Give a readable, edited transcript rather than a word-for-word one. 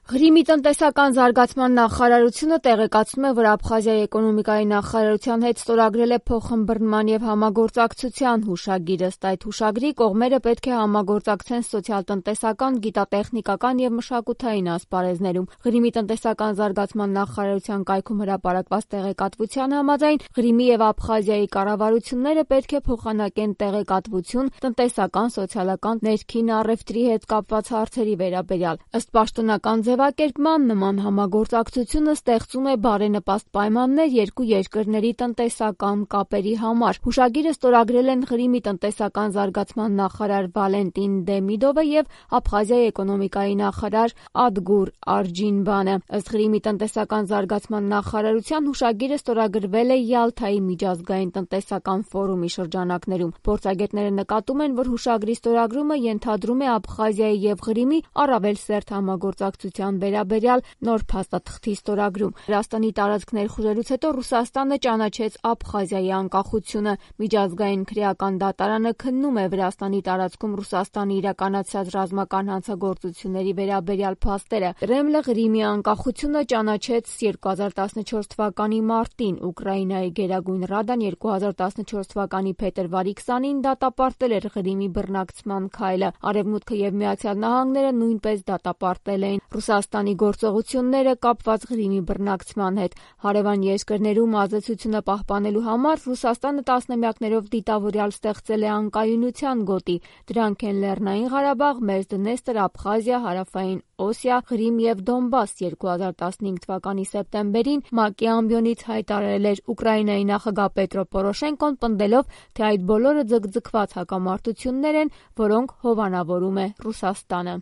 Ղրիմի տնտեսական զարգացման նախարարությունը տեղեկացնում է, որ Աբխազիայի էկոնոմիկայի նախարարության հետ ստորագրել է փոխըմբռնման և համագործակցության հուշագիր։ Ըստ այդ հուշագրի կողմերը պետք է համագործակցեն սոցիալ-տնտեսական, գիտատեխնիկական և մշակութային ասպարեզներում։ Ղրիմի տնտեսական զարգացման նախարարության կայքում հրապարակված տեղեկատվության համաձայն Ղրիմի և Աբխազիայի կառավարությունները պետք է փոխանակեն տեղեկատվություն տնտեսական, սոցիալական, ներքին առևտրի հետ կապված հարցերի վերաբերյալ։ Ըստ պաշտոնական ձևակերպման, նման համագործակցությունը ստեղծում է բարենպաստ պայմաններ երկու երկրների տնտեսական կապերի համար։ Հուշագիրը ստորագրել են Ղրիմի տնտեսական զարգացման նախարար Վալենտին Դեմիդովը և Աբխազիայի էկոնոմիկայի նախարար Ադգուր Արջինբանը։ Ըստ Ղրիմի տնտեսական զարգացման նախարարության, հուշագիրը ստորագրվել է Յալթայի միջազգային տնտեսական ֆորումի շրջանակներում։ Փորձագետները նկատում են, որ հուշագրի ստորագրումը ենթադրում է Աբխազիայի և Ղրիմի առավել սերտ համագործակցության վերաբերյալ նոր փաստաթղթի ստորագրում։ Վրաստանի տարածք ներխուժելուց հետո Ռուսաստանը ճանաչեց Աբխազիայի անկախությունը։ Միջազգային քրեական դատարանը քննում է Վրաստանի տարածքում Ռուսաստանի իրականացրած ռազմական հանցագործությունների վերաբերյալ փաստերը։ Կրեմլը Ղրիմի անկախությունը ճանաչեց 2014 թվականի մարտին։ Ուկրաինայի Գերագույն ռադան 2014 թվականի փետրվարի 20-ին դատապարտել էր Ղրիմի բռնակցման քայլը։ Արևմուտքը և Միացյալ Նահանգները նույնպես դատապարտել էին Ռուսաստանի գործողությունները կապված Ղրիմի բռնակցման հետ։ Հարևան երկրներում ազդեցությունը պահպանելու համար Ռուսաստանը տասնամյակներով դիտավորյալ ստեղծել է անկայունության գոտի։ Դրանք են Լեռնային Ղարաբաղ, Մերձդնեստր, Աբխազիա, Հարավային Օսիա, Ղրիմ և Դոնբաս։ 2015 թվականի սեպտեմբերին ՄԱԿ-ի ամբիոնից հայտարարել էր Ուկրաինայի նախագահ Պետրո Պորոշենկոն, պնդելով, թե այդ բոլորը ձգձգված հակամարտություններ են, որոնք հովանավորում է Ռուսաստանը։